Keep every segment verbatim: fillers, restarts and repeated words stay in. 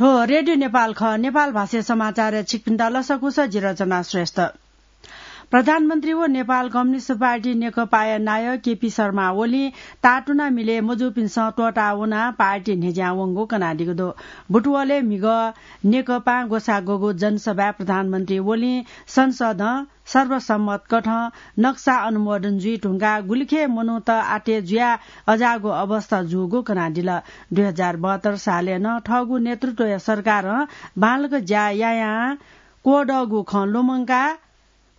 थ्व रेडियो नेपाल खः। नेपाल भाषा समाचार छिकपिन्त लसकुस, जि रचना श्रेष्ठ। प्रधानमन्त्री व नेपाल कम्युनिस्ट पार्टी नेकपाया नायः केपी शर्मा ओलीं तातुना मिले मजूपिन्सं त्वःता वनाः पार्टी न्ह्यज्यां वंगु कनादीगु दु। बुटवलय् म्हिगः नेकपां ग्वसाः ग्वःगु जनसभाय् प्रधानमन्त्री ओलीं संसदं सर्वसम्मत कथं नक्सा अनुमोदन जुइ धुंकाः गुलिखे मनूत आत्य जुयाः अजाःगु अवस्था जूगु कनादिल। दुई हजार बहत्तर सालय् नं थःगु नेतृत्वया सरकारं बांलाक ज्या यायां क्वदःगु खँ लुमंकाः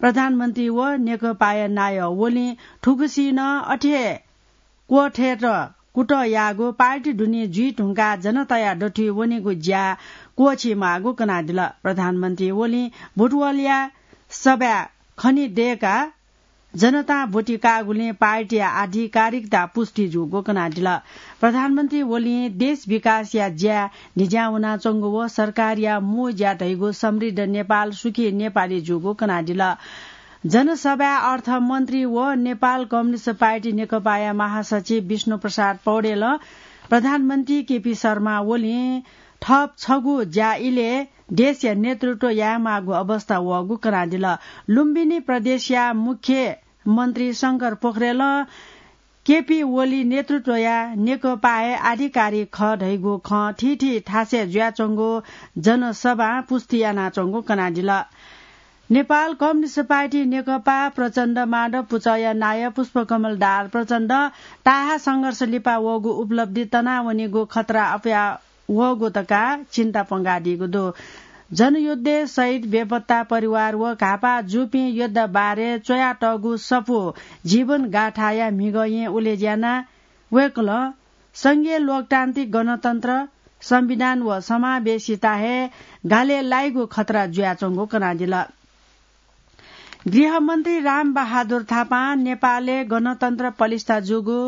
प्रधानमन्त्री व नेकपाया नायः ओलीं थुगुसी नं अथे हे क्वथयेत कुतः याःगु, पार्टी दुने जुइ धुंकाः जनताया दथुइ वनेगु ज्या क्वःछी माःगु कनादिल। प्रधानमन्त्री ओलीं बुटवलया सभाय् खने दय्काः जनतां ब्वति काःगुलिं पार्टीया आधिकारिकता पुष्टि जूगु कनादिल। प्रधानमन्त्री ओलीं देश विकासया ज्या न्ह्यज्यां वनाच्वंगु व सरकारया मू ज्या धइगु समृद्ध नेपाल, सुखी नेपाली जूगु कनादिल। जनसभाय् अर्थमन्त्री व नेपाल कम्युनिस्ट पार्टी नेकपाया महासचिव विष्णु प्रसाद पौडेलं प्रधानमन्त्री केपी शर्मा ओलीं थप छगू ज्या इलय् देशया नेतृत्व यायेमाःगु अवस्था वःगु कनादिल। लुम्बिनी प्रदेशया मुख्यमन्त्री शंकर पोखरेलं केपी ओली नेतृत्वया नेकपा हे आधिकारिक खः धइगु खँ थीथी थासय् जुयाच्वंगु जनसभां पुष्टि यानाच्वंगु कनादिल। नेपाल कम्युनिस्ट पार्टी नेकपा प्रचण्ड माधव पुचःया नायः पुष्पकमल दाहाल प्रचण्ड ताहा संघर्ष लिपा वःगु उपलब्धि तनावनीगु खतरा अप्वया वःगु धकाः चिन्ता प्वंकादीगु दु। जनयुद्धय् शहीद बेपत्ता परिवार व घाःपाः जूपिं योद्धा बारे च्वयातःगु सफू जीवन गाथाया म्हिगः येँ उलेज्यानाः वय्कलं संघीय लोकतान्त्रिक गणतन्त्र, संविधान व समावेशिता हे गालय् लाइगु खतरा जुयाच्वंगु कनादिल। गृहमन्त्री रामबहादुर थापां नेपालय् गणतन्त्र पलिस्था जूगु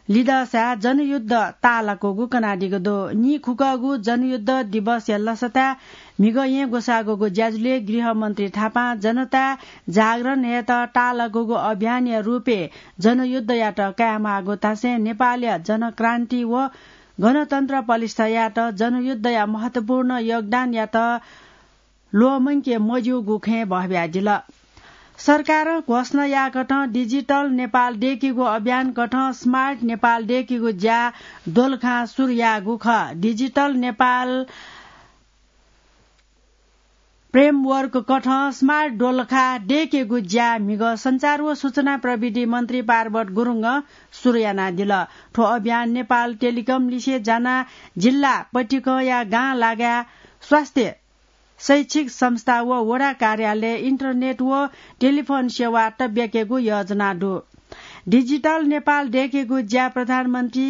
लिधःसाय् जनयुद्ध ताःलाकूगु कनादीगु दु। नीखुकःगु जनयुद्ध दिवसया लसताय् म्हिगः येँ ग्वसाःगुगु ज्याझ्वलय् गृहमन्त्री थापां जनताय् जागरण हयेत ताःलाकूगु अभियानया रूपय् जनयुद्धयात कायेमाःगु धासें नेपालया जनक्रान्ति व गणतन्त्र पलिस्था यायेत जनयुद्धया महत्वपूर्ण योगदानयात ल्वःमंके मज्यूगु खँय् बहब्यादिल। सरकारं घोषणा याःकथं डिजिटल नेपाल दय्केगु अभियानकथं स्मार्ट नेपाल दय्केगु ज्या दोलखां सुरु याःगु खः। डिजिटल नेपाल framework कथं स्मार्ट दोलखा दय्केगु ज्या म्हिगः सञ्चार व सूचना प्रविधि मन्त्री पार्वत गुरुङं सुरु यानादिल। थ्व अभियान नेपाल टेलिकम लिसे जानाः जिल्ला पतिकंया गां लागाय् स्वास्थ्य, शैक्षिक संस्था व वडा कार्यालय, इन्टरनेट व टेलिफोन सेवा तब्याकेगु योजना दु। डिजिटल नेपाल दय्केगु ज्या प्रधानमन्त्री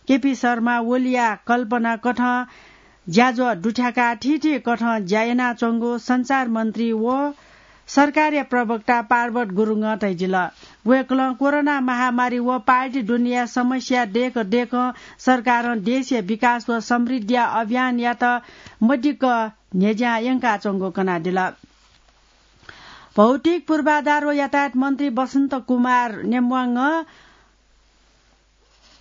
केपी शर्मा ओलीया कल्पना कथं ज्याझ्वः दुथ्याकाः थीथी कथं ज्या यानाच्वंगु सञ्चार मन्त्री व सरकारया प्रवक्ता पार्वत गुरुङं धयादिल। वय्कलं कोरोना महामारी व पार्टी दुनेया समस्या दय्क दय्कं सरकारं देशया विकास व समृद्धिया अभियानयात मदिक्क न्ह्यज्यां यंकाच्वंगु कनादिल। भौतिक पूर्वाधार व यातायात मन्त्री बसन्त कुमार नेम्वाङं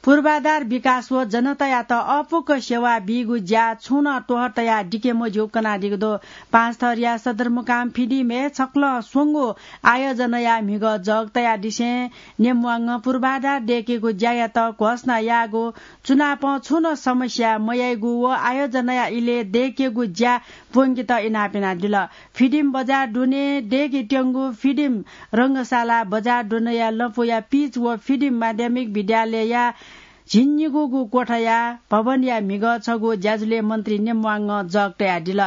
पूर्वाधार विकास व जनतायात अःपुक सेवा बीगु ज्या छुं नं त्वहः तयाः दिके मज्यूगु कनादीगु दु। पाँचथरया सदरमुकाम फिडिमय् छकलं स्वंगू आयोजनाया म्हिगः जग तयादिसें नेम्वाङं पूर्वाधार दय्केगु ज्यायात घोषणा याःगु चुनापं छुं नं समस्या मयाइगु व आयोजनाया इलय् दय्केगु ज्या प्वंकेत इनाप यानादिल। फिडिम बजार दुने दय्केत्यंगु फिडिम रंगशाला बजार दुनेया लँपुया पिच व फिडिम माध्यमिक विद्यालयया झिंनिगूगु कोठाया भवनया म्हिगः छगू ज्याझ्वलय् मन्त्री नेम्वाङं जग तयादिल।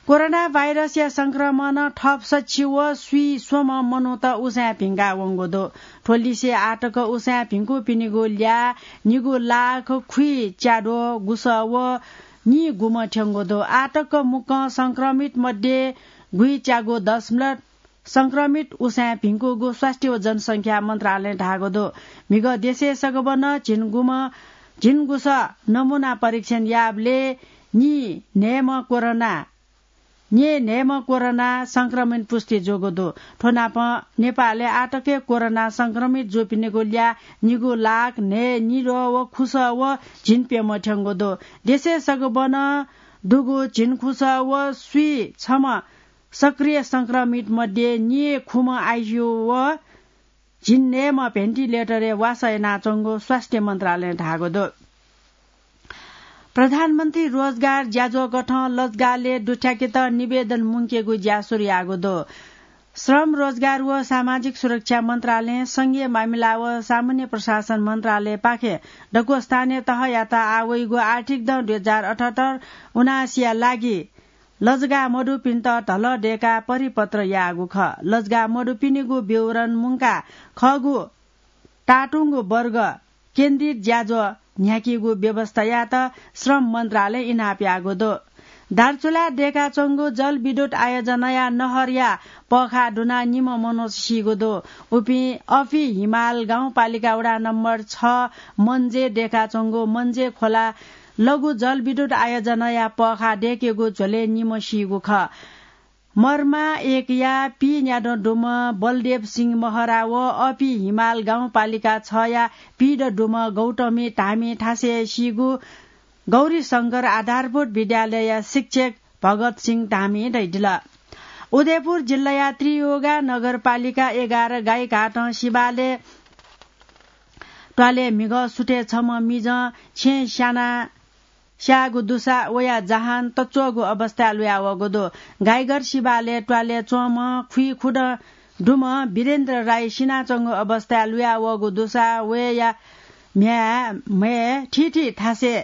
कोरोना भाइरसया संक्रमणं थप सछि व स्वीस्वम्ह मनूत उसाँय् भिंका वंगु दु। थ्व लिसे आःतक उसाँय् भिंकूपिनिगु ल्याः निगू लाख खुइच्याद्वः गुसः व नीगुम्ह थ्यंगु दु। आःतक मुक्कं संक्रमित मध्ये गुइच्यागू दशमलव संक्रमित उसाँय् भिंकूगु स्वास्थ्य व जनसंख्या मन्त्रालयं धाःगु दु। म्हिगः देशय् सगबनं झिंगुम्ह, झिंगुसः नमूना परीक्षण याःबलय् नीन्हय्म्ह कोरोना, नीन्हय्म्ह कोरोना संक्रमित पुष्टि जूगु दु। थ्व नापं नेपालय् आःतकय् कोरोना संक्रमित जूपिनिगु ल्याः निगू लाख न्हय्निद्वः व खुसः व झिंप्यम्ह थ्यंगु दु। देशय् सगबनं दुगु झिंखुसः व स्वीछम्ह सक्रिय संक्रमित मध्ये निय् खुम्ह आइसियू व झिंन्हय्म्ह भेन्टिलेटरय् वासः यानाच्वंगु स्वास्थ्य मन्त्रालयं धाःगु दु। प्रधानमन्त्री रोजगार ज्याझ्वः कथं लजगालय् दुथ्याकेत निवेदन मुंकेगु ज्या सुरु याःगु दु। श्रम, रोजगार व सामाजिक सुरक्षा मन्त्रालयं संघीय मामिला व सामान्य प्रशासन मन्त्रालयपाखें दक्व स्थानीय तहयात आः वइगु आर्थिक दँ दुई हजार अठहत्तर उनासीया लागि लजगाः मदुपिन्त धलः दय्काः परिपत्र याःगु खः। लजगाः मदुपिनिगु विवरण मुंकाः खःगु तातुंगु वर्ग केन्द्रित ज्याझ्वः न्ह्याकीगु व्यवस्था यायेत श्रम मन्त्रालयं इनाप याःगु दु। दार्चुलाय् दय्काच्वंगु जलविद्युत आयोजनाया नहरया पःखाः दुनाः निम्ह मनूत सीगु दु। उपिं अफि हिमाल गाउँपालिका वडा नम्बर छ मन्जे दय्काच्वंगु मन्जे खोला लघु जलविद्युत आयोजनाया पःखाः दय्केगु झ्वलय् निम्ह सीगु खः। मर्मा एकया पीन्यादँ दुम्ह बलदेव सिंह महरा व अफि हिमाल गाउँपालिका छया पीदँ दुम्ह गौतमी धामी थासय् सीगु गौरीशंकर आधारभूत विद्यालयया शिक्षक भगत सिंह धामी धयादिल। उदयपुर जिल्लाया त्रियुगा नगरपालिका एघार गाईघाटं सिबालय् त्वालय् म्हिगः सुथय् छम्ह मिजं छेँय् स्याना स्याःगु दुसा वया जहान तच्वःगु अवस्थाय् लुयावःगु दु। गाईघाट सिबालय् त्वालय् च्वंम्ह खुइखुदँ दुम्ह वीरेन्द्र राई सिनाच्वंगु अवस्थाय् लुयावःगु दुसा वया म्ह्याय्, म्हय् थीथी थासय्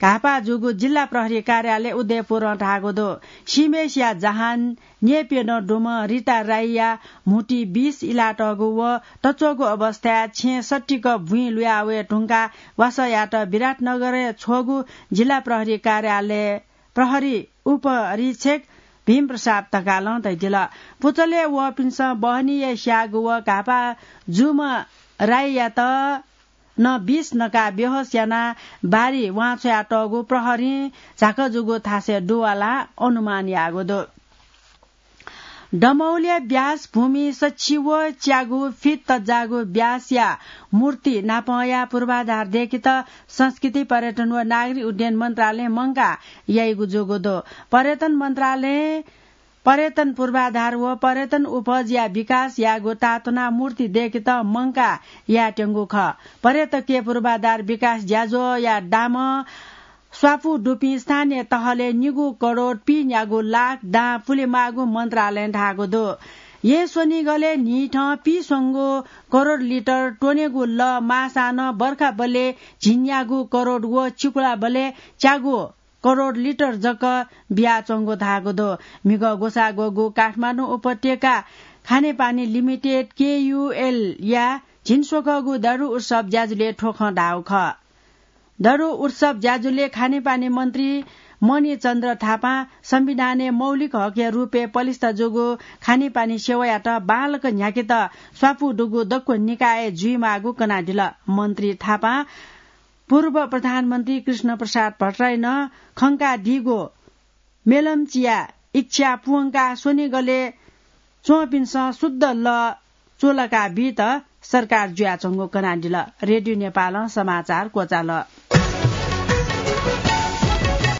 घाःपाः जूगु जिल्ला प्रहरी कार्यालय उदयपुरं धाःगु दु। सीम्हेसिया जहान न्यय्प्यदँ दुम्ह रिता राईया म्हुतुइ विष इलातःगु व तच्वःगु अवस्थाय् छेँ सत्तिक बुँइ लुया वये धुंकाः वासः यायेत विराटनगरय् छ्वःगु जिल्ला प्रहरी कार्यालय प्रहरी उपरीक्षक भीमप्रसाद ढकालं धयादिल। पुचलय् वःपिन्सं बहनीया स्याःगु व घाःपाः जूम्ह राईयात नं विष नकाः बेहोस यानाः बारी वांछ्वयातःगु प्रहरीं झाकः जूगु थासय् दुवालाः अनुमान याःगु दु। दमौलिया व्यास भूमि सछि व च्यागू फिट तज्जाःगु व्यासया मूर्ति नापंया पूर्वाधार दय्केत संस्कृति, पर्यटन व नागरिक उड्डयन मन्त्रालयं मंकाः याइगु जूगु दु। पर्यटन मन्त्रालयं पर्यटन पूर्वाधार व पर्यटन उपजया विकास यायेगु ताःतुनाः मूर्ति दय्केत मंकाः यायेत्यंगु खः। पर्यटकीय पूर्वाधार विकास ज्याझ्वःया दामं स्वापू दुपिं स्थानीय तहलय् निगू करोड पीन्यागू लाख दां पुलेमाःगु मन्त्रालयं धाःगु दु। येँ स्वनिगलय् न्हिथं पीस्वंगू करोड लिटर त्वनेगु लः माःसां नं बर्खाबलय् झिंन्यागू करोड व चिकुलाबलय् च्यागू करोड लिटर जक बियाच्वंगु धाःगु दु। म्हिगः ग्वसाः ग्वःगु काठमाडौं उपत्यका खानेपानी लिमिटेड, केयुएलया झिंस्वकःगु दरु उत्सव ज्याझ्वलय् थ्व खँ धाःगु खः। दरु उत्सव ज्याझ्वलय् खानेपानी मन्त्री मणिचन्द्र थापां संविधानय् मौलिक हकया रूपय् पलिस्था जूगु खानेपानी सेवायात बांलाक न्ह्याकेत स्वापू दुगु दक्व निकायय् जुइमाःगु कनादिल। मन्त्री थापां पूर्व प्रधानमन्त्री कृष्णप्रसाद भट्टराईं नं खंकादीगु मेलम्चीया इच्छा पूवंकाः स्वनिगलय् च्वंपिन्सं शुद्ध लः चुलाका बीत सरकार जुयाच्वंगु कनादिल। रेडियो नेपालं समाचार क्वचाल।